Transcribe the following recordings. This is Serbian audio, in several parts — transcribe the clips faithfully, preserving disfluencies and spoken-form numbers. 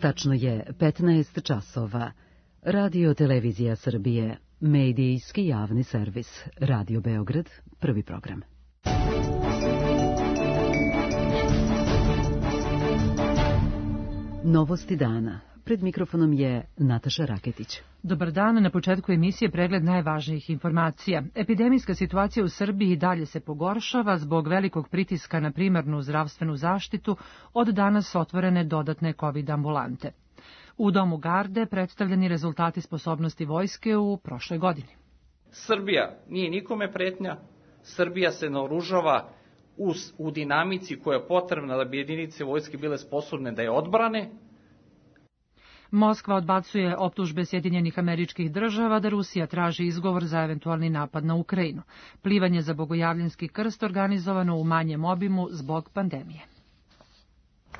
Tačno je petnaest časova. Radio Televizija Srbije, medijski javni servis, Radio Beograd, prvi program. Novosti dana. Pred mikrofonom je Nataša Raketić. Dobar dan, na početku emisije pregled najvažnijih informacija. Epidemijska situacija u Srbiji dalje se pogoršava zbog velikog pritiska na primarnu zdravstvenu zaštitu, od danas otvorene dodatne COVID ambulante. U Domu Garde predstavljeni rezultati sposobnosti vojske u prošloj godini. Srbija nije nikome pretnja, Srbija se naoružava u, u dinamici koja je potrebna da bi jedinice vojske bile sposobne da je odbrane. Moskva odbacuje optužbe Sjedinjenih Američkih Država da Rusija traži izgovor za eventualni napad na Ukrajinu. Plivanje za Bogojavljanski krst organizovano u manjem obimu zbog pandemije.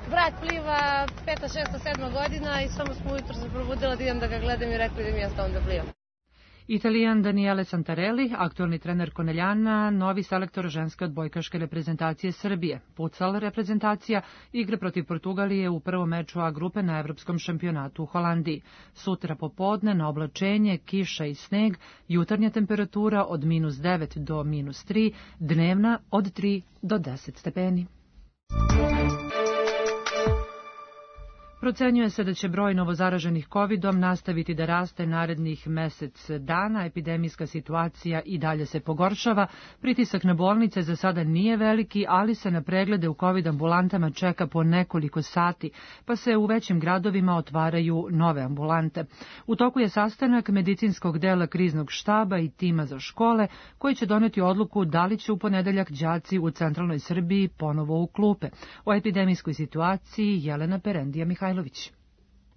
Brat pliva peta, šesta, sedma godina i samo smo ujutro se probudila da idem da ga gledam i rekli da mi ja stavim da plivam. Italijan Daniele Santarelli, aktualni trener Koneljana, novi selektor ženske odbojkaške reprezentacije Srbije. Futsal reprezentacija igra protiv Portugalije u prvom meču A grupe na evropskom šampionatu u Holandiji. Sutra popodne na oblačenje, kiša i sneg, jutarnja temperatura od minus devet do minus tri, dnevna od tri do deset stepeni. Procenjuje se da će broj novozaraženih kovidom nastaviti da raste narednih mesec dana. Epidemijska situacija i dalje se pogoršava. Pritisak na bolnice za sada nije veliki, ali se na preglede u COVID ambulantama čeka po nekoliko sati, pa se u većim gradovima otvaraju nove ambulante. U toku je sastanak medicinskog dela kriznog štaba i tima za škole, koji će doneti odluku da li će u ponedeljak đaci u centralnoj Srbiji ponovo u klupe. O epidemijskoj situaciji Jelena Perendija-Mihajlović.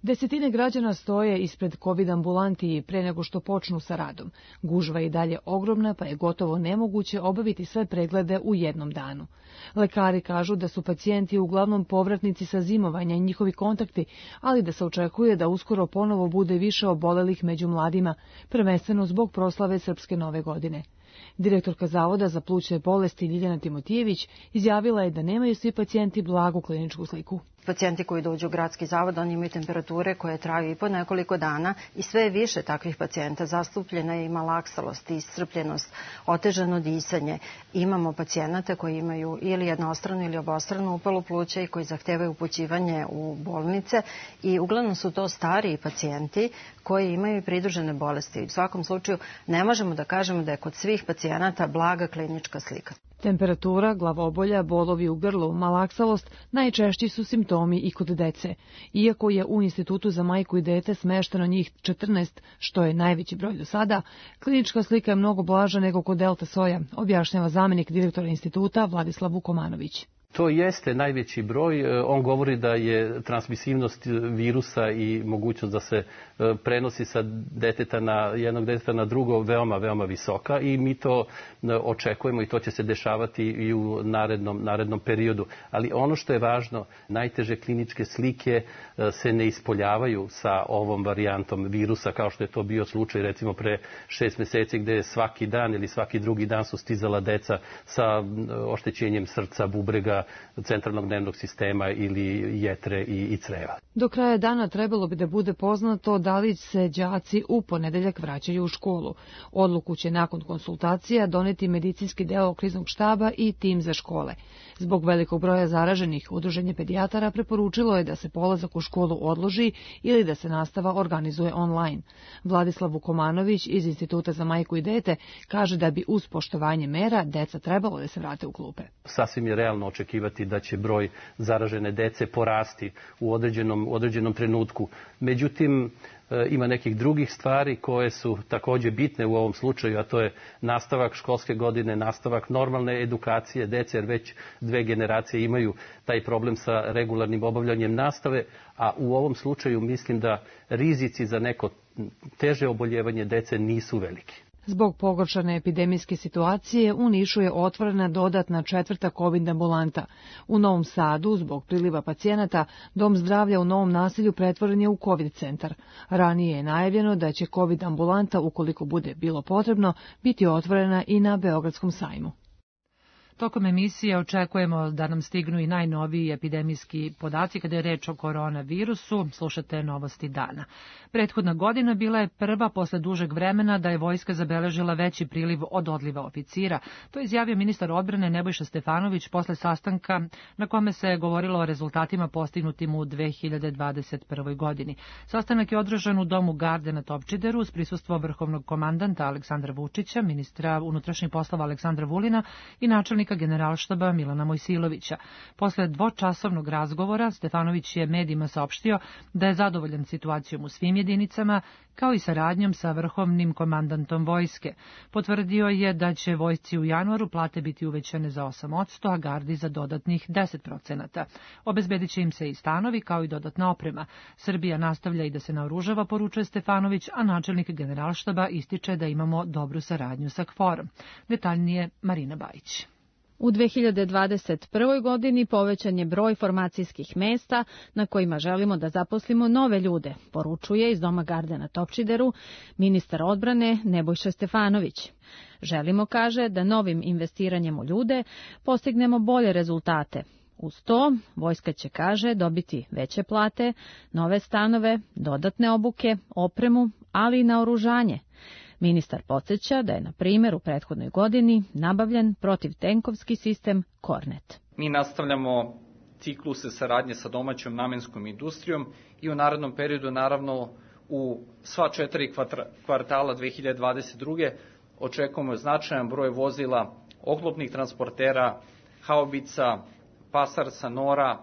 Desetine građana stoje ispred COVID ambulanti pre nego što počnu sa radom. Gužva je i dalje ogromna, pa je gotovo nemoguće obaviti sve preglede u jednom danu. Lekari kažu da su pacijenti uglavnom povratnici sa zimovanja i njihovi kontakti, ali da se očekuje da uskoro ponovo bude više obolelih među mladima, prvenstveno zbog proslave Srpske nove godine. Direktorka Zavoda za plućne bolesti Ljiljana Timotijević izjavila je da nemaju svi pacijenti blagu kliničku sliku. Pacijenti koji dođu u gradski zavod, oni imaju temperature koje traju i po nekoliko dana i sve je više takvih pacijenta. Zastupljena je i malaksalost, iscrpljenost, otežano disanje. Imamo pacijenata koji imaju ili jednostranu ili obostranu upalu pluća i koji zahtevaju upućivanje u bolnice i uglavnom su to stariji pacijenti koji imaju i pridružene bolesti. U svakom slučaju ne možemo da kažemo da je kod svih pacijenata blaga klinička slika. Temperatura, glavobolja, bolovi u grlu, malaksalost najčešći su simptomi i kod dece. Iako je u Institutu za majku i dete smešteno njih četrnaest, što je najveći broj do sada, klinička slika je mnogo blaža nego kod delta soja, objašnjava zamenik direktora instituta Vladislav Vukomanović. To jeste najveći broj. On govori da je transmisivnost virusa i mogućnost da se prenosi sa deteta na jednog deteta na drugo veoma, veoma visoka i mi to očekujemo i to će se dešavati i u narednom, narednom periodu. Ali ono što je važno, najteže kliničke slike se ne ispoljavaju sa ovom varijantom virusa kao što je to bio slučaj recimo pre šest meseci gde je svaki dan ili svaki drugi dan su stizala deca sa oštećenjem srca, bubrega, centralnog nervnog sistema ili jetre i, i creva. Do kraja dana trebalo bi da bude poznato da li se đaci u ponedeljak vraćaju u školu. Odluku će nakon konsultacija doneti medicinski deo kriznog štaba i tim za škole. Zbog velikog broja zaraženih, udruženje pedijatara preporučilo je da se polazak u školu odloži ili da se nastava organizuje online. Vladislav Vukomanović iz Instituta za majku i dete kaže da bi uz poštovanje mera deca trebalo da se vrate u klupe. Sasvim je realno očekivati da će broj zaražene dece porasti u određenom, u određenom trenutku. Međutim, ima nekih drugih stvari koje su takođe bitne u ovom slučaju, a to je nastavak školske godine, nastavak normalne edukacije dece, jer već dve generacije imaju taj problem sa regularnim obavljanjem nastave, a u ovom slučaju mislim da rizici za neko teže oboljevanje dece nisu veliki. Zbog pogoršane epidemijske situacije u Nišu je otvorena dodatna četvrta COVID ambulanta. U Novom Sadu, zbog priliva pacijenata, Dom zdravlja u Novom naselju pretvoren je u COVID centar. Ranije je najavljeno da će COVID ambulanta, ukoliko bude bilo potrebno, biti otvorena i na Beogradskom sajmu. Tokom emisije očekujemo da nam stignu i najnoviji epidemijski podaci kada je reč o koronavirusu. Slušate Novosti dana. Prethodna godina bila je prva posle dužeg vremena da je vojska zabeležila veći priliv od odliva oficira. To je izjavio ministar odbrane Nebojša Stefanović posle sastanka na kome se govorilo o rezultatima postignutim u dve hiljade dvadeset prvoj. godini. Sastanak je održan u Domu garde na Topčideru uz prisustvo vrhovnog komandanta Aleksandra Vučića, ministra unutrašnjih poslova Aleksandra Vulina i načelnika generalštaba Milana Mojsilovića. Posle dvočasovnog razgovora Stefanović je medijima saopštio da je zadovoljan situacijom u svim jedinicama, kao i saradnjom sa vrhovnim komandantom vojske. Potvrdio je da će vojsci u januaru plate biti uvećane za osam posto, a gardi za dodatnih deset procenata. Obezbedit će im se i stanovi kao i dodatna oprema. Srbija nastavlja i da se naoružava, poručuje Stefanović, a načelnik generalštaba ističe da imamo dobru saradnju sa KFOR-om. Detaljnije Marina Bajić. U dve hiljade dvadeset prvoj. godini povećan je broj formacijskih mesta na kojima želimo da zaposlimo nove ljude, poručuje iz Doma garde na Topčideru ministar odbrane Nebojša Stefanović. Želimo, kaže, da novim investiranjem u ljude postignemo bolje rezultate. Uz to, vojska će, kaže, dobiti veće plate, nove stanove, dodatne obuke, opremu, ali i naoružanje. Ministar podsjeća da je, na primjer, u prethodnoj godini nabavljen protivtenkovski sistem Kornet. Mi nastavljamo cikluse saradnje sa domaćom namenskom industrijom i u narednom periodu, naravno, u sva četiri kvartala dve hiljade dvadeset druge. očekujemo značajan broj vozila, oklopnih transportera, haubica, pasarca, nora,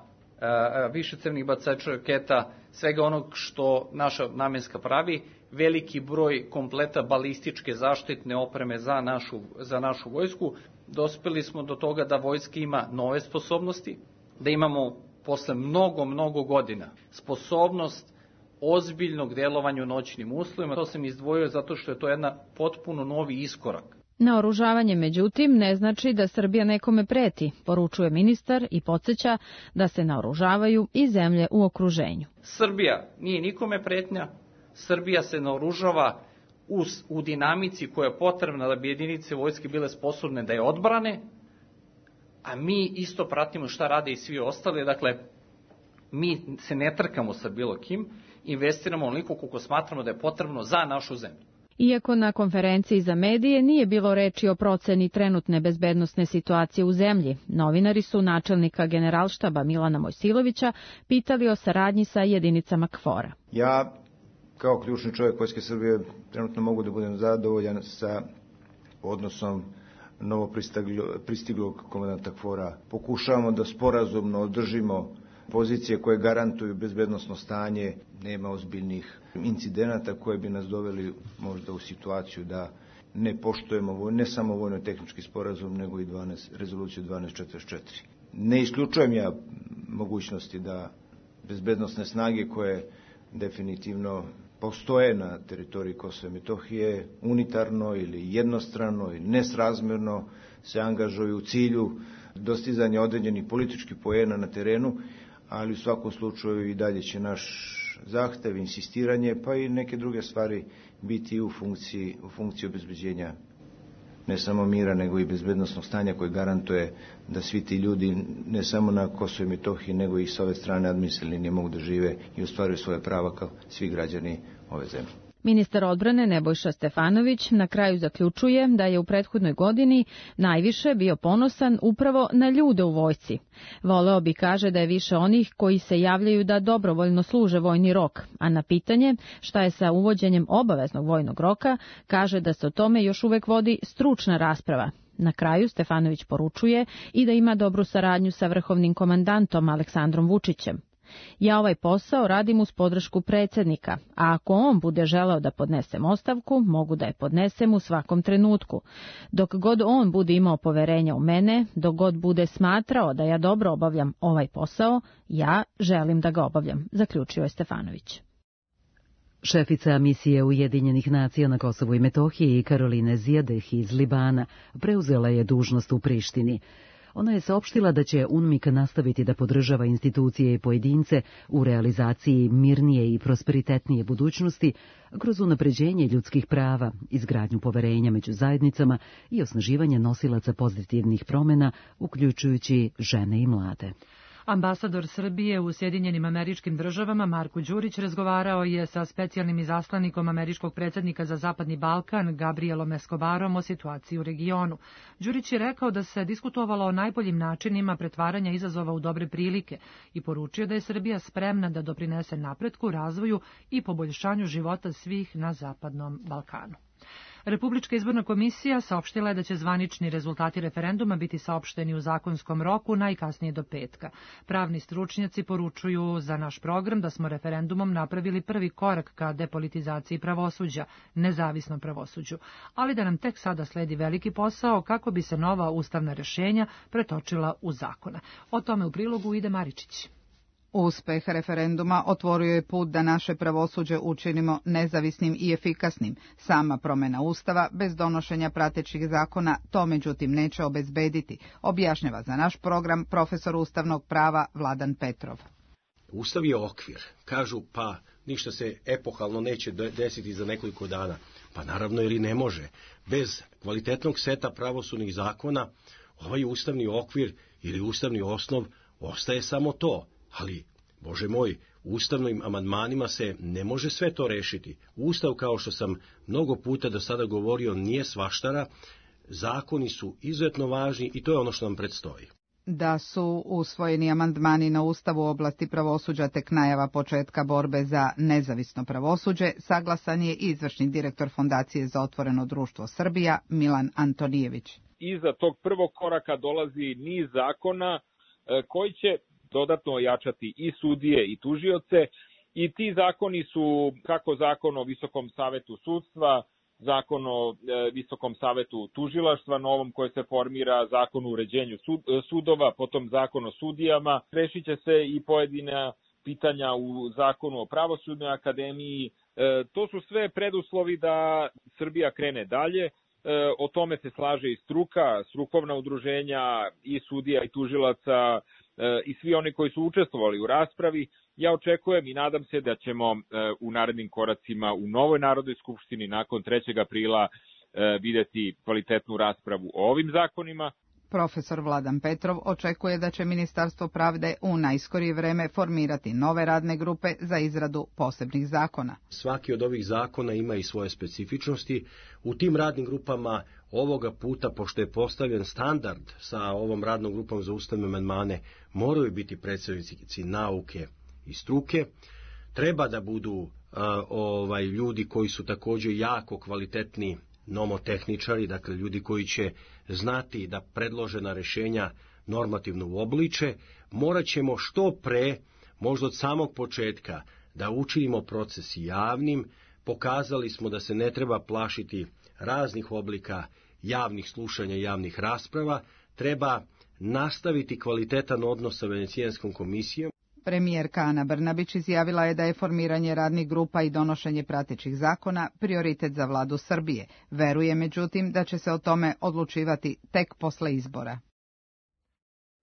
višecevnih bacača raketa, svega onog što naša namenska pravi, veliki broj kompleta balističke zaštitne opreme za našu, za našu vojsku. Dospeli smo do toga da vojska ima nove sposobnosti, da imamo posle mnogo, mnogo godina sposobnost ozbiljnog delovanja u noćnim uslovima. To sam izdvojio zato što je to jedna potpuno novi iskorak. Naoružavanje, međutim, ne znači da Srbija nekome preti, poručuje ministar i podsjeća da se naoružavaju i zemlje u okruženju. Srbija nije nikome pretnja, Srbija se naoružava u, u dinamici koja je potrebna da bi jedinice vojske bile sposobne da je odbrane, a mi isto pratimo šta rade i svi ostali. Dakle, mi se ne trkamo sa bilo kim, investiramo onoliko koliko smatramo da je potrebno za našu zemlju. Iako na konferenciji za medije nije bilo reči o proceni trenutne bezbednosne situacije u zemlji, novinari su načelnika generalštaba Milana Mojsilovića pitali o saradnji sa jedinicama KFOR-a. Ja, kao ključni čovjek Vojske Srbije, trenutno mogu da budem zadovoljan sa odnosom novo pristiglog komandanta KFOR-a. Pokušavamo da sporazumno održimo pozicije koje garantuju bezbednosno stanje, nema ozbiljnih incidenata koje bi nas doveli možda u situaciju da ne poštujemo ne samo vojno-tehnički sporazum, nego i dvanaest, rezoluciju dvanaest četrdeset četiri. Ne isključujem ja mogućnosti da bezbednosne snage koje definitivno postoje na teritoriji Kosova i Metohije, unitarno ili jednostrano ili nesrazmerno se angažuju u cilju dostizanja određenih političkih poena na terenu, ali u svakom slučaju i dalje će naš zahtev, insistiranje, pa i neke druge stvari biti u funkciji, u funkciji obezbeđenja ne samo mira, nego i bezbednosnog stanja koje garantuje da svi ti ljudi, ne samo na Kosovu i Metohiji, nego i s ove strane administrativne linije mogu da žive i ostvaruju svoje prava kao svi građani ove zemlje. Ministar odbrane Nebojša Stefanović na kraju zaključuje da je u prethodnoj godini najviše bio ponosan upravo na ljude u vojsci. Voleo bi, kaže, da je više onih koji se javljaju da dobrovoljno služe vojni rok, a na pitanje šta je sa uvođenjem obaveznog vojnog roka, kaže da se o tome još uvek vodi stručna rasprava. Na kraju Stefanović poručuje i da ima dobru saradnju sa vrhovnim komandantom Aleksandrom Vučićem. Ja ovaj posao radim uz podršku predsjednika, a ako on bude želeo da podnesem ostavku, mogu da je podnesem u svakom trenutku. Dok god on bude imao poverenja u mene, dok god bude smatrao da ja dobro obavljam ovaj posao, ja želim da ga obavljam, zaključio je Stefanović. Šefica misije Ujedinjenih nacija na Kosovu i Metohiji Karoline Zijadeh iz Libana preuzela je dužnost u Prištini. Ona je saopštila da će UNMIK nastaviti da podržava institucije i pojedince u realizaciji mirnije i prosperitetnije budućnosti kroz unapređenje ljudskih prava, izgradnju poverenja među zajednicama i osnaživanje nosilaca pozitivnih promjena, uključujući žene i mlade. Ambasador Srbije u Sjedinjenim Američkim Državama Marko Đurić razgovarao je sa specijalnim izaslanikom američkog predsjednika za Zapadni Balkan Gabrielom Escobarom o situaciji u regionu. Đurić je rekao da se diskutovalo o najboljim načinima pretvaranja izazova u dobre prilike i poručio da je Srbija spremna da doprinese napretku, razvoju i poboljšanju života svih na Zapadnom Balkanu. Republička izborna komisija saopštila je da će zvanični rezultati referenduma biti saopšteni u zakonskom roku najkasnije do petka. Pravni stručnjaci poručuju za naš program da smo referendumom napravili prvi korak ka depolitizaciji pravosuđa, nezavisnom pravosuđu, ali da nam tek sada sledi veliki posao kako bi se nova ustavna rješenja pretočila u zakone. O tome u prilogu ide Maričić. Uspeh referenduma otvorio je put da naše pravosuđe učinimo nezavisnim i efikasnim. Sama promjena Ustava, bez donošenja pratećih zakona, to međutim neće obezbediti, objašnjava za naš program profesor ustavnog prava Vladan Petrov. Ustav je okvir. Kažu, pa ništa se epohalno neće desiti za nekoliko dana. Pa naravno, jer i ne može. Bez kvalitetnog seta pravosudnih zakona, ovaj ustavni okvir ili ustavni osnov ostaje samo to. Ali, Bože moj, ustavnim amandmanima se ne može sve to rešiti. Ustav, kao što sam mnogo puta do sada govorio, nije svaštara, zakoni su izuzetno važni i to je ono što nam predstoji. Da su usvojeni amandmani na Ustav u oblasti pravosuđa tek najava početka borbe za nezavisno pravosuđe, saglasan je izvršni direktor Fondacije za otvoreno društvo Srbija, Milan Antonijević. Iza tog prvog koraka dolazi niz zakona koji će dodatno ojačati i sudije i tužioce i ti zakoni su kako zakon o Visokom savetu sudstva, zakon o Visokom savetu tužilaštva novom koje se formira, zakon o uređenju sudova, potom zakon o sudijama. Rešit će se i pojedina pitanja u zakonu o pravosudnoj akademiji. To su sve preduslovi da Srbija krene dalje. O tome se slaže i struka, strukovna udruženja i sudija i tužilaca i svi oni koji su učestvovali u raspravi. Ja očekujem i nadam se da ćemo u narednim koracima u novoj Narodnoj skupštini nakon trećeg aprila vidjeti kvalitetnu raspravu o ovim zakonima. Profesor Vladan Petrov očekuje da će Ministarstvo pravde u najskorije vreme formirati nove radne grupe za izradu posebnih zakona. Svaki od ovih zakona ima i svoje specifičnosti. U tim radnim grupama ovoga puta, pošto je postavljen standard sa ovom radnom grupom za ustavne amandmane, moraju biti predstavnici nauke i struke. Treba da budu uh, ovaj, ljudi koji su također jako kvalitetni nomotehničari, dakle ljudi koji će znati da predložena rješenja normativno uobliče. Morat ćemo što pre, možda od samog početka, da učinimo proces javnim. Pokazali smo da se ne treba plašiti raznih oblika javnih slušanja i javnih rasprava. Treba nastaviti kvalitetan odnos sa Venecijanskom komisijom. Premijerka Ana Brnabić izjavila je da je formiranje radnih grupa i donošenje pratećih zakona prioritet za vladu Srbije. Veruje međutim da će se o tome odlučivati tek posle izbora.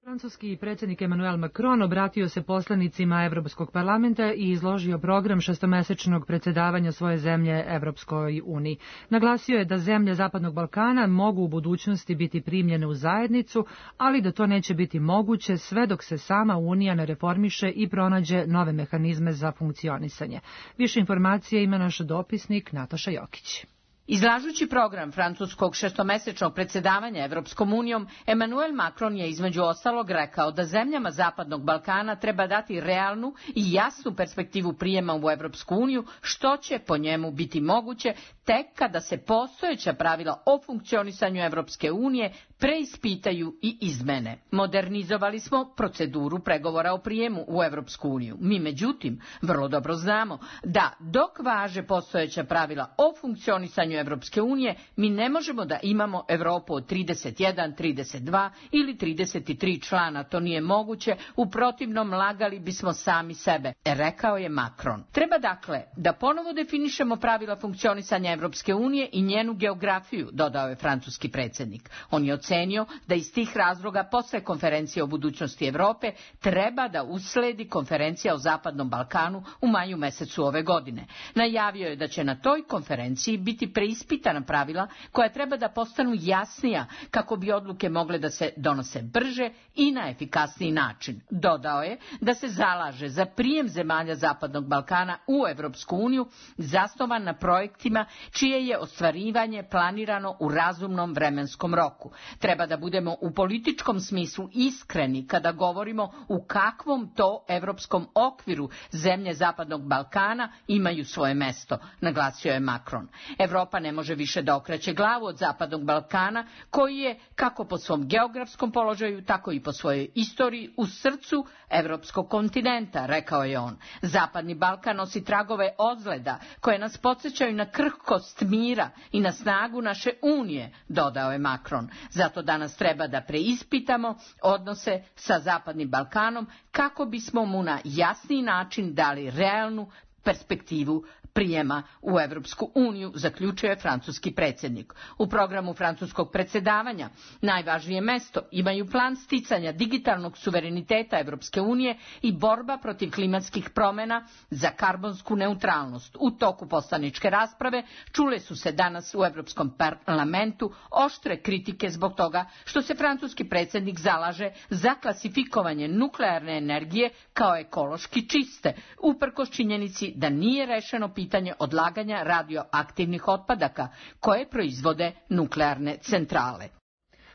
Francuski predsjednik Emmanuel Macron obratio se poslanicima Evropskog parlamenta i izložio program šestomesečnog predsjedavanja svoje zemlje Evropskoj uniji. Naglasio je da zemlje Zapadnog Balkana mogu u budućnosti biti primljene u zajednicu, ali da to neće biti moguće sve dok se sama Unija ne reformiše i pronađe nove mehanizme za funkcionisanje. Više informacije ima naš dopisnik Nataša Jokić. Izlažući program francuskog šestomesečnog predsjedavanja Evropskom unijom, Emmanuel Macron je između ostalog rekao da zemljama Zapadnog Balkana treba dati realnu i jasnu perspektivu prijema u Evropsku uniju, što će po njemu biti moguće tek kada se postojeća pravila o funkcionisanju Evropske unije preispitaju i izmene. Modernizovali smo proceduru pregovora o prijemu u Evropsku uniju. Mi međutim vrlo dobro znamo da dok važe postojeća pravila o funkcionisanju mišljenju Evropske unije, mi ne možemo da imamo Evropu od trideset jedan, trideset dva ili trideset tri člana. To nije moguće, u protivnom lagali bismo sami sebe, rekao je Macron. Treba dakle da ponovo definišemo pravila funkcionisanja Evropske unije i njenu geografiju, dodao je francuski predsjednik. On je ocenio da iz tih razloga posle konferencije o budućnosti Evrope treba da usledi konferencija o Zapadnom Balkanu u maju mesecu ove godine. Najavio je da će na toj konferenciji biti preispitana pravila koja treba da postanu jasnija kako bi odluke mogle da se donose brže i na efikasniji način. Dodao je da se zalaže za prijem zemalja Zapadnog Balkana u Evropsku uniju zasnovan na projektima čije je ostvarivanje planirano u razumnom vremenskom roku. Treba da budemo u političkom smislu iskreni kada govorimo u kakvom to evropskom okviru zemlje Zapadnog Balkana imaju svoje mesto, naglasio je Macron. Evropa ne može više da okreće glavu od Zapadnog Balkana, koji je, kako po svom geografskom položaju, tako i po svojoj istoriji, u srcu evropskog kontinenta, rekao je on. Zapadni Balkan nosi tragove ozljeda koje nas podsjećaju na krhkost mira i na snagu naše unije, dodao je Macron. Zato danas treba da preispitamo odnose sa Zapadnim Balkanom kako bismo mu na jasniji način dali realnu perspektivu prijema u Evropsku uniju, zaključio je francuski predsjednik. U programu francuskog predsjedavanja najvažnije mesto imaju plan sticanja digitalnog suvereniteta Evropske unije i borba protiv klimatskih promjena za karbonsku neutralnost. U toku poslaničke rasprave čule su se danas u Evropskom parlamentu oštre kritike zbog toga što se francuski predsjednik zalaže za klasifikovanje nuklearne energije kao ekološki čiste, uprkos činjenici da nije rešeno pitanje pitanje odlaganja radioaktivnih otpadaka koje proizvode nuklearne centrale.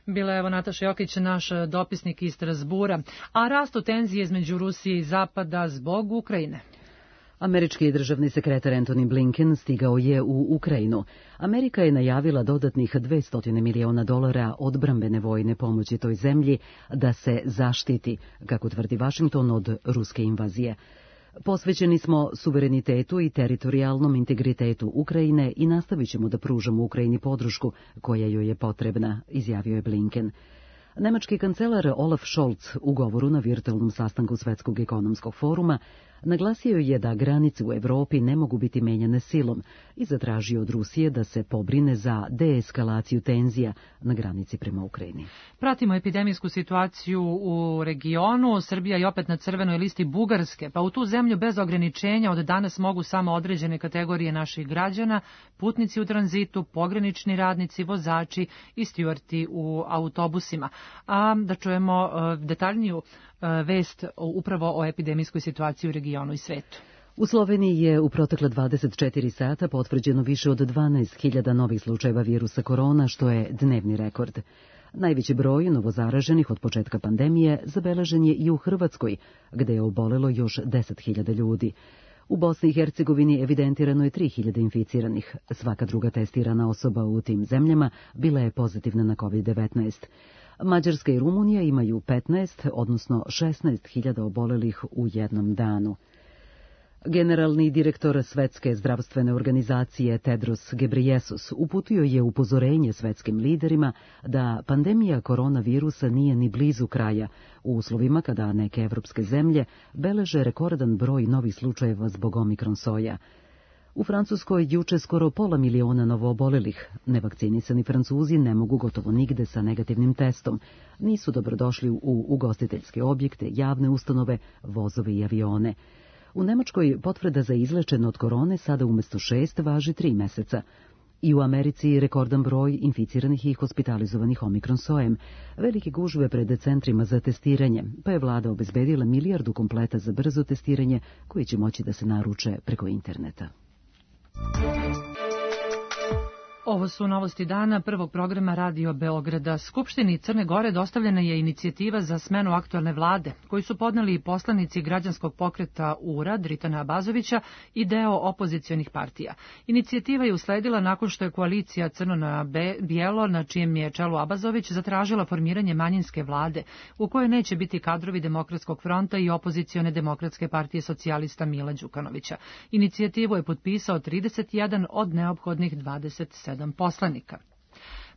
Bila je evo Nataša Jokić, naš dopisnik iz Strasbura, a rastu tenzije između Rusije i Zapada zbog Ukrajine. Američki državni sekretar Antony Blinken stigao je u Ukrajinu. Amerika je najavila dodatnih dvesta miliona dolara odbrambene vojne pomoći toj zemlji da se zaštiti, kako tvrdi Vašington, od ruske invazije. Posvećeni smo suverenitetu i teritorijalnom integritetu Ukrajine i nastavit ćemo da pružamo Ukrajini podršku koja joj je potrebna, izjavio je Blinken. Nemački kancelar Olaf Scholz u govoru na virtualnom sastanku Svetskog ekonomskog foruma naglasio je da granice u Evropi ne mogu biti menjane silom i zatražio od Rusije da se pobrine za deeskalaciju tenzija na granici prema Ukrajini. Pratimo epidemijsku situaciju u regionu. Srbija je opet na crvenoj listi Bugarske, pa u tu zemlju bez ograničenja od danas mogu samo određene kategorije naših građana, putnici u tranzitu, pogranični radnici, vozači i stjuarti u autobusima. A da čujemo detaljniju vest upravo o epidemijskoj situaciji u regionu i svetu. U Sloveniji je u protekle dvadeset četiri sata potvrđeno više od dvanaest hiljada novih slučajeva virusa korona, što je dnevni rekord. Najveći broj novozaraženih od početka pandemije zabeležen je i u Hrvatskoj, gde je obolelo još deset hiljada ljudi. U Bosni i Hercegovini evidentirano je tri hiljade inficiranih. Svaka druga testirana osoba u tim zemljama bila je pozitivna na kovid devetnaest. Mađarska i Rumunija imaju petnaest, odnosno šesnaest hiljada obolelih u jednom danu. Generalni direktor Svetske zdravstvene organizacije Tedros Ghebreyesus uputio je upozorenje svetskim liderima da pandemija koronavirusa nije ni blizu kraja u uslovima kada neke evropske zemlje beleže rekordan broj novih slučajeva zbog omikron soja. U Francuskoj juče skoro pola miliona novoobolelih. Nevakcinisani Francuzi ne mogu gotovo nigde sa negativnim testom. Nisu dobrodošli u ugostiteljske objekte, javne ustanove, vozove i avione. U Nemačkoj potvrda za izlečen od korone sada umjesto šest važi tri meseca. I u Americi rekordan broj inficiranih i hospitalizovanih omikron sojem, velike gužve pred centrima za testiranje, pa je vlada obezbedila milijardu kompleta za brzo testiranje koji će moći da se naruče preko interneta. Ovo su novosti dana prvog programa Radio Beograda. Skupštini Crne Gore dostavljena je inicijativa za smenu aktualne vlade, koju su podneli poslanici građanskog pokreta U R A Dritana Abazovića i deo opozicionih partija. Inicijativa je usledila nakon što je koalicija Crno na bijelo, na čijem je čelu Abazović, zatražila formiranje manjinske vlade, u kojoj neće biti kadrovi Demokratskog fronta i opozicione Demokratske partije socijalista Mila Đukanovića. Inicijativu je potpisao trideset jedan od neophodnih dvadeset sedam sedam poslanika.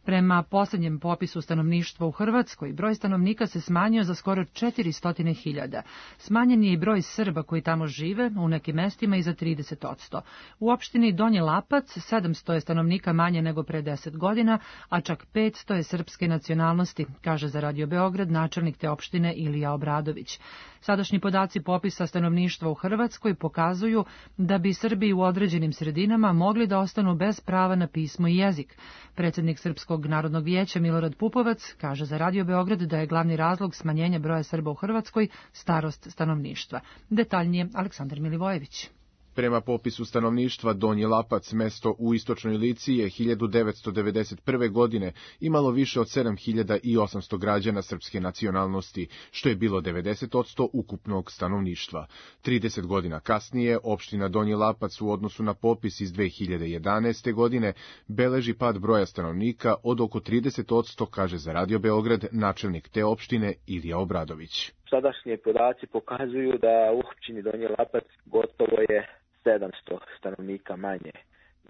Prema posljednjem popisu stanovništva u Hrvatskoj, broj stanovnika se smanjio za skoro četiristo hiljada. Smanjen je i broj Srba koji tamo žive, u nekim mestima i za trideset odsto. U opštini Donji Lapac sedamsto je stanovnika manje nego pre deset godina, a čak petsto je srpske nacionalnosti, kaže za Radio Beograd načelnik te opštine Ilija Obradović. Sadašnji podaci popisa stanovništva u Hrvatskoj pokazuju da bi Srbi u određenim sredinama mogli da ostanu bez prava na pismo i jezik. Predsjednik Srpskog narodnog vijeća Milorad Pupovac kaže za Radio Beograd da je glavni razlog smanjenja broja Srba u Hrvatskoj starost stanovništva. Detaljnije Aleksandar Milivojević. Prema popisu stanovništva, Donji Lapac, mesto u istočnoj Lici, je hiljadu devetsto devedeset prve. godine imalo više od sedam hiljada osamsto građana srpske nacionalnosti, što je bilo devedeset odsto ukupnog stanovništva. trideset godina kasnije, opština Donji Lapac u odnosu na popis iz dve hiljade jedanaeste. godine beleži pad broja stanovnika od oko trideset odsto, kaže za Radio Beograd načelnik te opštine Ilija Obradović. Sadašnji podaci pokazuju da u opštini Donji Lapac gotovo je sedamsto stanovnika manje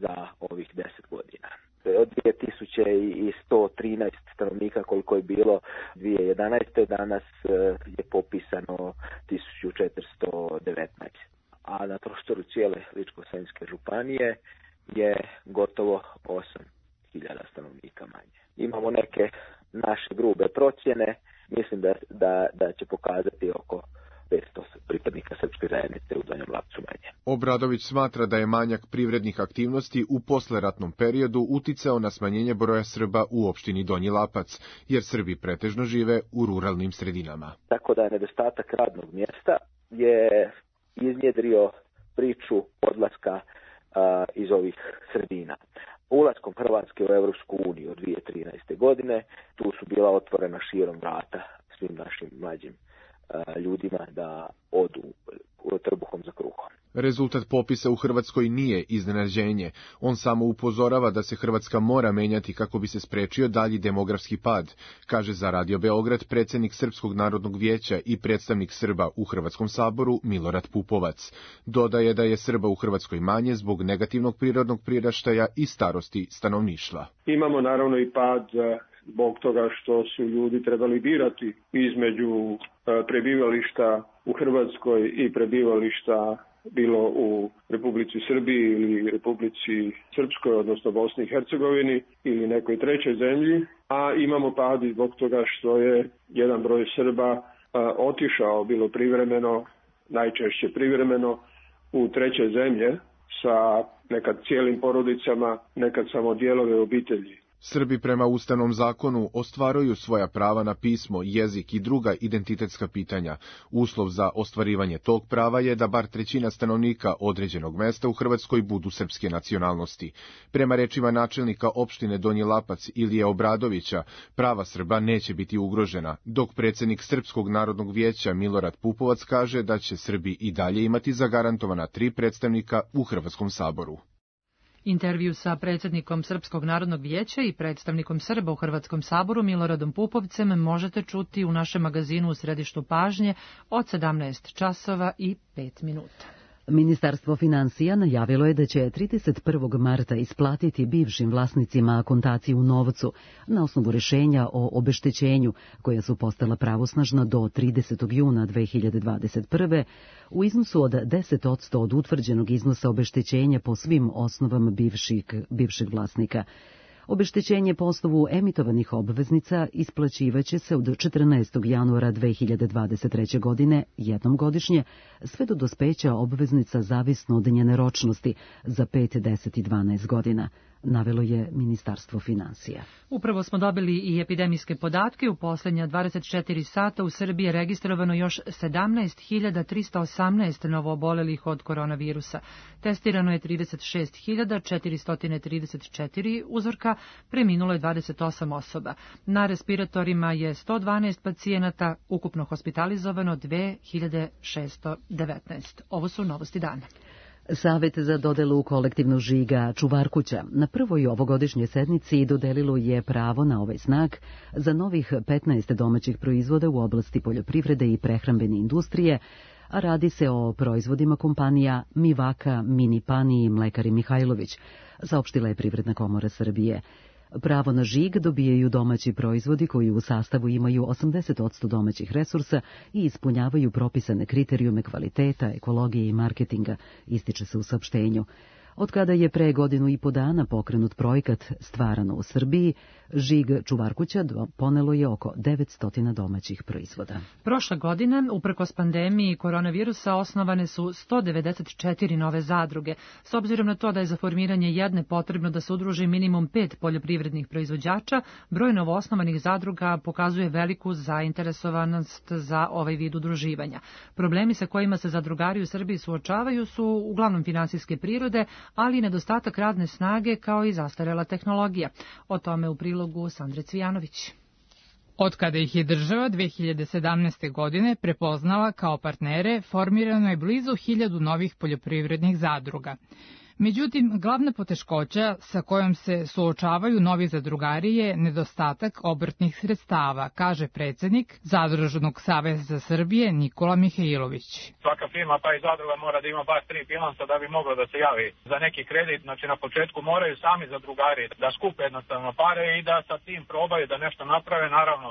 za ovih deset godina. Od dvije tisuće sto trinaest stanovnika koliko je bilo dvije hiljade jedanaeste. danas je popisano tisuću četiristo devetnaest. A na prostoru cijele Ličko-senjske županije je gotovo osam hiljada stanovnika manje. Imamo neke naše grube procjene, mislim da, da, da će pokazati oko petsto pripadnika srpske zajednice u Donjem Lapcu manje. Obradović smatra da je manjak privrednih aktivnosti u posleratnom periodu uticao na smanjenje broja Srba u opštini Donji Lapac, jer Srbi pretežno žive u ruralnim sredinama. Tako da nedostatak radnog mjesta je iznjedrio priču odlaska a, iz ovih sredina. Ulaskom Hrvatske u Evropsku uniju od dvije hiljade trinaeste. godine, tu su bila otvorena širom vrata svim našim mlađim a, ljudima da odu trbuhom za kruhom. Rezultat popisa u Hrvatskoj nije iznenađenje. On samo upozorava da se Hrvatska mora menjati kako bi se sprečio dalji demografski pad, kaže za Radio Beograd predsjednik Srpskog narodnog vijeća i predstavnik Srba u Hrvatskom saboru Milorad Pupovac. Dodaje da je Srba u Hrvatskoj manje zbog negativnog prirodnog priraštaja i starosti stanovništva. Imamo naravno i pad zbog toga što su ljudi trebali birati između prebivališta u Hrvatskoj i prebivališta bilo u Republici Srbiji ili Republici Srpskoj, odnosno Bosni i Hercegovini ili nekoj trećoj zemlji, a imamo pad i zbog toga što je jedan broj Srba a, otišao bilo privremeno, najčešće privremeno, u treće zemlje sa nekad cijelim porodicama, nekad samo dijelove obitelji. Srbi prema ustavnom zakonu ostvaruju svoja prava na pismo, jezik i druga identitetska pitanja. Uslov za ostvarivanje tog prava je da bar trećina stanovnika određenog mesta u Hrvatskoj budu srpske nacionalnosti. Prema rečima načelnika opštine Donji Lapac Ilije Obradovića, prava Srba neće biti ugrožena, dok predsjednik Srpskog narodnog vijeća Milorad Pupovac kaže da će Srbi i dalje imati zagarantovana tri predstavnika u Hrvatskom saboru. Intervju sa predsjednikom Srpskog narodnog vijeća i predstavnikom Srba u Hrvatskom saboru Miloradom Pupovcem možete čuti u našem magazinu U središtu pažnje od sedamnaest časova i pet minuta. Ministarstvo financija najavilo je da će trideset prvog marta isplatiti bivšim vlasnicima akontaciju u novcu na osnovu rješenja o obeštećenju koja su postala pravosnažna do tridesetog juna dve hiljade dvadeset prve u iznosu od deset odsto od utvrđenog iznosa obeštećenja po svim osnovama bivših, bivšeg vlasnika. Obeštećenje po osnovu emitovanih obveznica isplaćivaće se od četrnaestog januara dve hiljade dvadeset treće. godine jednom godišnje, sve do dospeća obveznica zavisno od njene ročnosti za pet, deset i dvanaest godina, navelo je Ministarstvo financija. Upravo smo dobili i epidemijske podatke. U posljednja dvadeset četiri sata u Srbiji je registrovano još sedamnaest hiljada tristo osamnaest novoobolelih od koronavirusa. Testirano je trideset šest hiljada četiristo trideset četiri uzorka, preminulo je dvadeset osam osoba. Na respiratorima je sto dvanaest pacijenata, ukupno hospitalizovano dve hiljade šesto devetnaest. Ovo su novosti dana. Savet za dodelu kolektivnog žiga Čuvarkuća na prvoj ovogodišnjoj sednici dodelilo je pravo na ovaj znak za novih petnaest domaćih proizvoda u oblasti poljoprivrede i prehrambene industrije, a radi se o proizvodima kompanija Mivaka, Minipani i Mlekari Mihajlović, saopštila je Privredna komora Srbije. Pravo na žig dobijaju domaći proizvodi koji u sastavu imaju osamdeset posto domaćih resursa i ispunjavaju propisane kriterijume kvaliteta, ekologije i marketinga, ističe se u saopštenju. Od kada je pre godinu i po dana pokrenut projekat Stvarano u Srbiji, žig Čuvarkuća ponelo je oko devetsto domaćih proizvoda. Prošle godine, uprkos pandemiji koronavirusa, osnovane su sto devedeset četiri nove zadruge. S obzirom na to da je za formiranje jedne potrebno da se udruži minimum pet poljoprivrednih proizvođača, broj novoosnovanih zadruga pokazuje veliku zainteresovanost za ovaj vid udruživanja. Problemi sa kojima se zadrugari u Srbiji suočavaju su uglavnom finansijske prirode, ali i nedostatak radne snage kao i zastarela tehnologija. O tome u prilogu Sandre Cvijanović. Od kada ih je država dve hiljade sedamnaeste. godine prepoznala kao partnere, formirano je blizu hiljadu novih poljoprivrednih zadruga. Međutim, glavna poteškoća sa kojom se suočavaju novi zadrugari je nedostatak obrtnih sredstava, kaže predsjednik Zadružnog saveza Srbije Nikola Mihajlović. Svaka firma pa i zadruga mora da ima bar tri bilansa da bi mogla da se javi za neki kredit. Znači na početku moraju sami zadrugari da skupe jednostavno pare i da sa tim probaju da nešto naprave, naravno.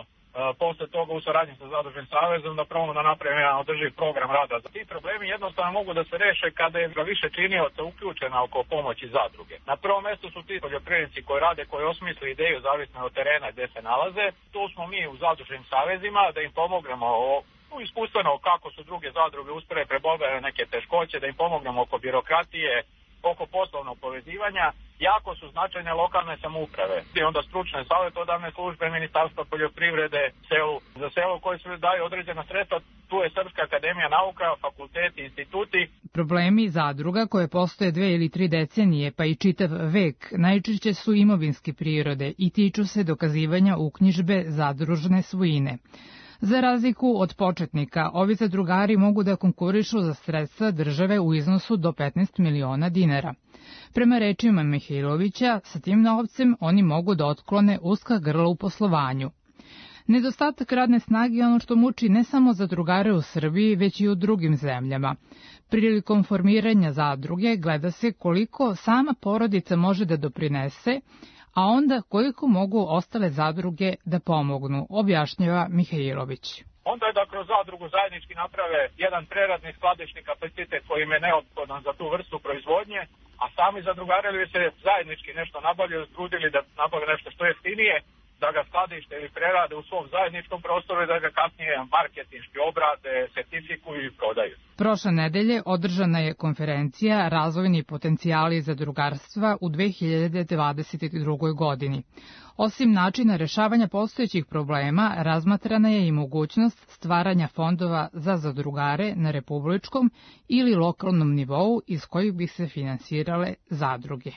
Posle toga u saradnji sa Zadružnim savezom da probamo da napravimo jedan održiv program rada. Ti problemi jednostavno mogu da se reše kada je više činioca uključena oko pomoći zadruge. Na prvom mjestu su ti poljoprivrednici koji rade, koji osmisle ideju zavisno od terena gdje se nalaze. Tu smo mi u Zadružnim savezima da im pomognemo o iskustveno kako su druge zadruge uspjele prebroditi neke teškoće, da im pomognemo oko birokratije, oko poslovnog povezivanja. Jako su značajne lokalne samouprave i onda stručne savjetodavne službe Ministarstva poljoprivrede selu, za selo koje se daju određena sredstva. Tu je Srpska akademija nauka, fakulteti, instituti. Problemi zadruga koje postoje dve ili tri decenije pa i čitav vek najčešće su imovinske prirode i tiču se dokazivanja uknjižbe zadružne svojine. Za razliku od početnika, ovi zadrugari mogu da konkurišu za sredstva države u iznosu do petnaest miliona dinara. Prema rečima Mihajlovića, sa tim novcem oni mogu da otklone uska grla u poslovanju. Nedostatak radne snage je ono što muči ne samo zadrugare u Srbiji, već i u drugim zemljama. Prilikom formiranja zadruge gleda se koliko sama porodica može da doprinese, a onda koliko mogu ostale zadruge da pomognu, objašnjava Mihajlović. Onda je da kroz zadrugu zajednički naprave jedan preradni skladišni kapacitet koji im je neophodan za tu vrstu proizvodnje, a sami zadrugari bi se zajednički nešto nabavljaju, trudili da nabave nešto što jeftinije, da ga skladište ili prerade u svom zajedničkom prostoru i da ga kasnije marketinški obrade, sertifikuju i prodaju. Prošle nedelje održana je konferencija Razvojni potencijali zadrugarstva u dve hiljade dvadeset drugoj. godini. Osim načina rešavanja postojećih problema, razmatrana je i mogućnost stvaranja fondova za zadrugare na republičkom ili lokalnom nivou iz kojih bi se finansirale zadruge.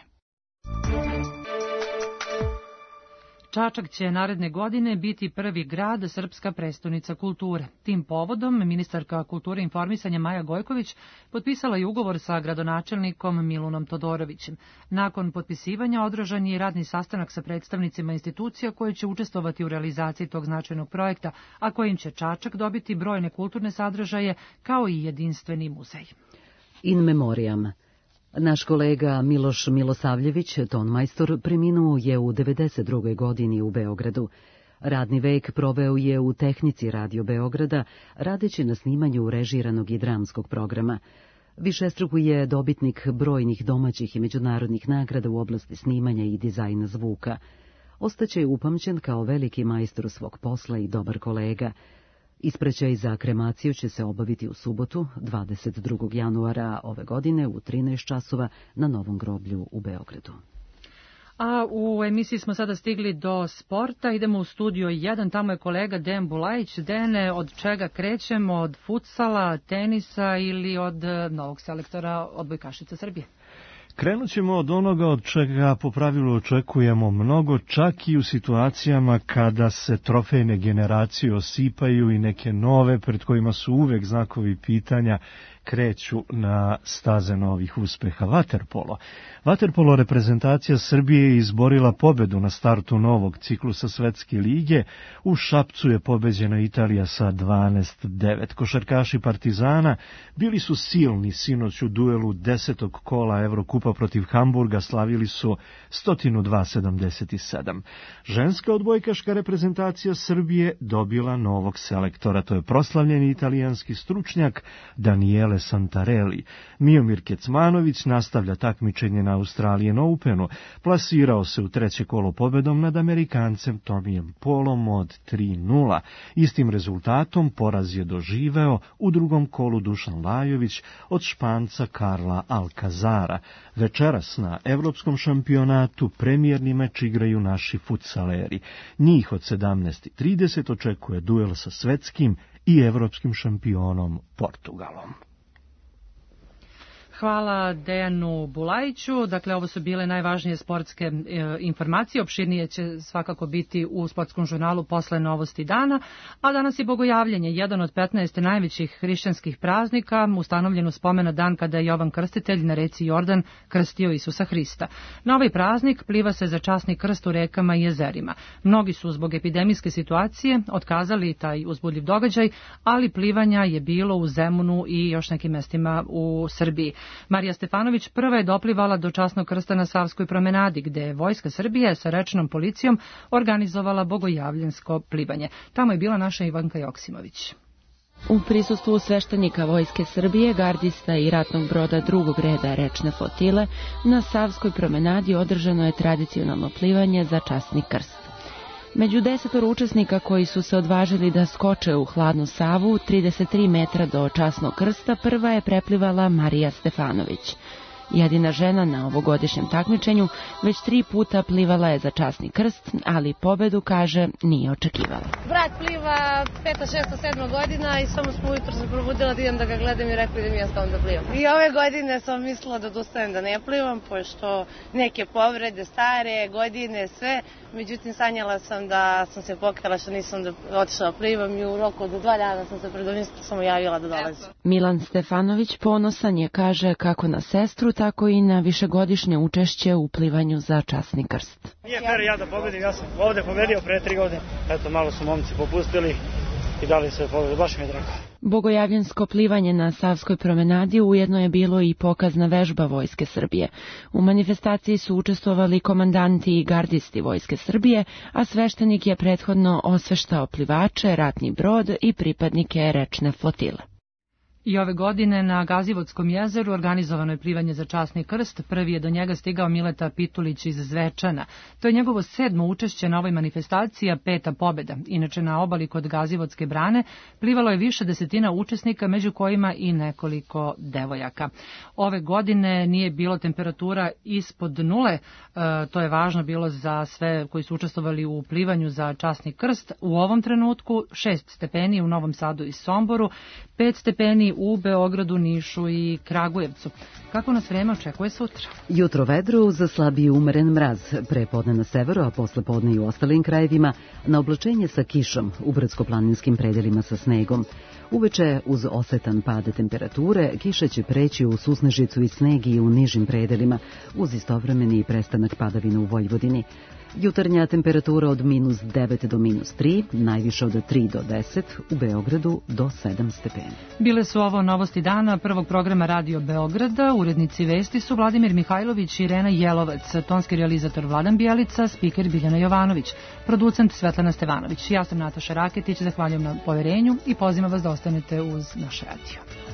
Čačak će naredne godine biti prvi grad, srpska prestonica kulture. Tim povodom ministarka kulture i informisanja Maja Gojković potpisala je ugovor sa gradonačelnikom Milunom Todorovićem. Nakon potpisivanja održan je radni sastanak sa predstavnicima institucija koje će učestvovati u realizaciji tog značajnog projekta, a kojim će Čačak dobiti brojne kulturne sadržaje kao i jedinstveni muzej. In memoriam. Naš kolega Miloš Milosavljević, tonmajstor, preminuo je u devedeset drugoj. godini u Beogradu. Radni vek proveo je u tehnici Radio Beograda, radeći na snimanju režiranog i dramskog programa. Višestruko je dobitnik brojnih domaćih i međunarodnih nagrada u oblasti snimanja i dizajna zvuka. Ostaće upamćen kao veliki majstor svog posla i dobar kolega. Ispraćaj za kremaciju će se obaviti u subotu, dvadeset drugog januara ove godine u trinaest časova na Novom groblju u Beogradu. A u emisiji smo sada stigli do sporta, idemo u studio jedan, tamo je kolega Dejan Bulajić. Dene, od čega krećemo, od futsala, tenisa ili od novog selektora odbojkašica Srbije? Krenut ćemo od onoga od čega po pravilu očekujemo mnogo, čak i u situacijama kada se trofejne generacije osipaju i neke nove, pred kojima su uvek znakovi pitanja kreću na staze novih uspeha. Vaterpolo. Vaterpolo reprezentacija Srbije je izborila pobedu na startu novog ciklusa Svetske lige. U Šapcu je pobeđena Italija sa dvanaest devet. Košarkaši Partizana bili su silni sinoć u duelu desetog kola Evrokupa protiv Hamburga, slavili su sto dva sedamdeset sedam. Ženska odbojkaška reprezentacija Srbije dobila novog selektora, to je proslavljeni italijanski stručnjak Daniele Santarelli. Miomir Kecmanović nastavlja takmičenje na Australian Openu, plasirao se u treće kolo pobedom nad Amerikancem Tomijem Polom od tri nula. Istim rezultatom poraz je doživeo u drugom kolu Dušan Lajović od Španca Karla Alcazara. Večeras na evropskom šampionatu premijerni meč igraju naši futsaleri. Njih od sedamnaest trideset očekuje duel sa svetskim i evropskim šampionom Portugalom. Hvala Dejanu Bulajiću. Dakle, ovo su bile najvažnije sportske e, informacije. Opširnije će svakako biti u sportskom žurnalu posle novosti dana. A danas je Bogojavljenje, jedan od petnaest najvećih hrišćanskih praznika, ustanovljen u spomena dan kada je Jovan Krstitelj na reci Jordan krstio Isusa Hrista. Na ovaj praznik pliva se za časni krst u rekama i jezerima. Mnogi su zbog epidemijske situacije otkazali taj uzbudljiv događaj, ali plivanja je bilo u Zemunu i još nekim mestima u Srbiji. Marija Stefanović prva je doplivala do časnog krsta na Savskoj promenadi, gde je Vojska Srbije sa rečnom policijom organizovala bogojavljensko plivanje. Tamo je bila naša Ivanka Joksimović. U prisustvu sveštenika Vojske Srbije, gardista i ratnog broda drugog reda rečne flotile, na Savskoj promenadi održano je tradicionalno plivanje za časni krst. Među desetoro učesnika koji su se odvažili da skoče u hladnu Savu trideset tri metra do časnog krsta, prva je preplivala Marija Stefanović. Jedina žena na ovogodišnjem takmičenju već tri puta plivala je za časni krst, ali pobedu, kaže, nije očekivala. Brat pliva peta, šesta, sedma godina i samo smo ujutro se probudila da idem da ga gledam i rekli da mi ja stavim da plivam. I ove godine sam mislila da odustajem da ne plivam, pošto neke povrede, stare godine, sve. Međutim, sanjala sam da sam se pokajala što nisam da otišla plivam i u roku od dva dana sam se predomislila, samo javila da dolazim. Milan Stefanović ponosan je, kaže, kako na sestru, tako i na višegodišnje učešće u plivanju za časni krst. Nije fer ja da pobedim, ja sam ovde pobedio pre tri godine. Eto, malo su momci popustili i dali sve pobedu, baš mi je drago. Bogojavljensko plivanje na Savskoj promenadi ujedno je bilo i pokazna vežba Vojske Srbije. U manifestaciji su učestvovali komandanti i gardisti Vojske Srbije, a sveštenik je prethodno osveštao plivače, ratni brod i pripadnike rečne flotile. I ove godine na Gazivodskom jezeru organizovano je plivanje za časni krst. Prvi je do njega stigao Mileta Pitulić iz Zvečana. To je njegovo sedmo učešće na ovoj manifestaciji, a peta pobeda. Inače, na obali kod Gazivodske brane plivalo je više desetina učesnika, među kojima i nekoliko devojaka. Ove godine nije bilo temperatura ispod nule. E, to je važno bilo za sve koji su učestvovali u plivanju za časni krst. U ovom trenutku šest stepeni u Novom Sadu i Somboru, pet stepeni u Beogradu, Nišu i Kragujevcu. Kako nas vreme očekuje sutra? Jutro vedro uz slabiji umeren mraz, prepodne na severu, a posle podne i u ostalim krajevima, na oblačenje sa kišom, u brdsko-planinskim predelima sa snegom. Uveče uz osetan pad temperature, kiša će preći u susnežicu i sneg i u nižim predelima, uz istovremeni prestanak padavina u Vojvodini. Jutarnja temperatura od minus devet do minus tri, najviše od tri do deset, u Beogradu do sedam stepeni. Bile su ovo novosti dana prvog programa Radio Beograda. Urednici vesti su Vladimir Mihajlović i Irena Jelovac, tonski realizator Vladan Bijelica, spiker Biljana Jovanović, producent Svetlana Stevanović. Ja sam Nataša Raketić, zahvaljujem na poverenju i pozivam vas da ostanete uz naš radio.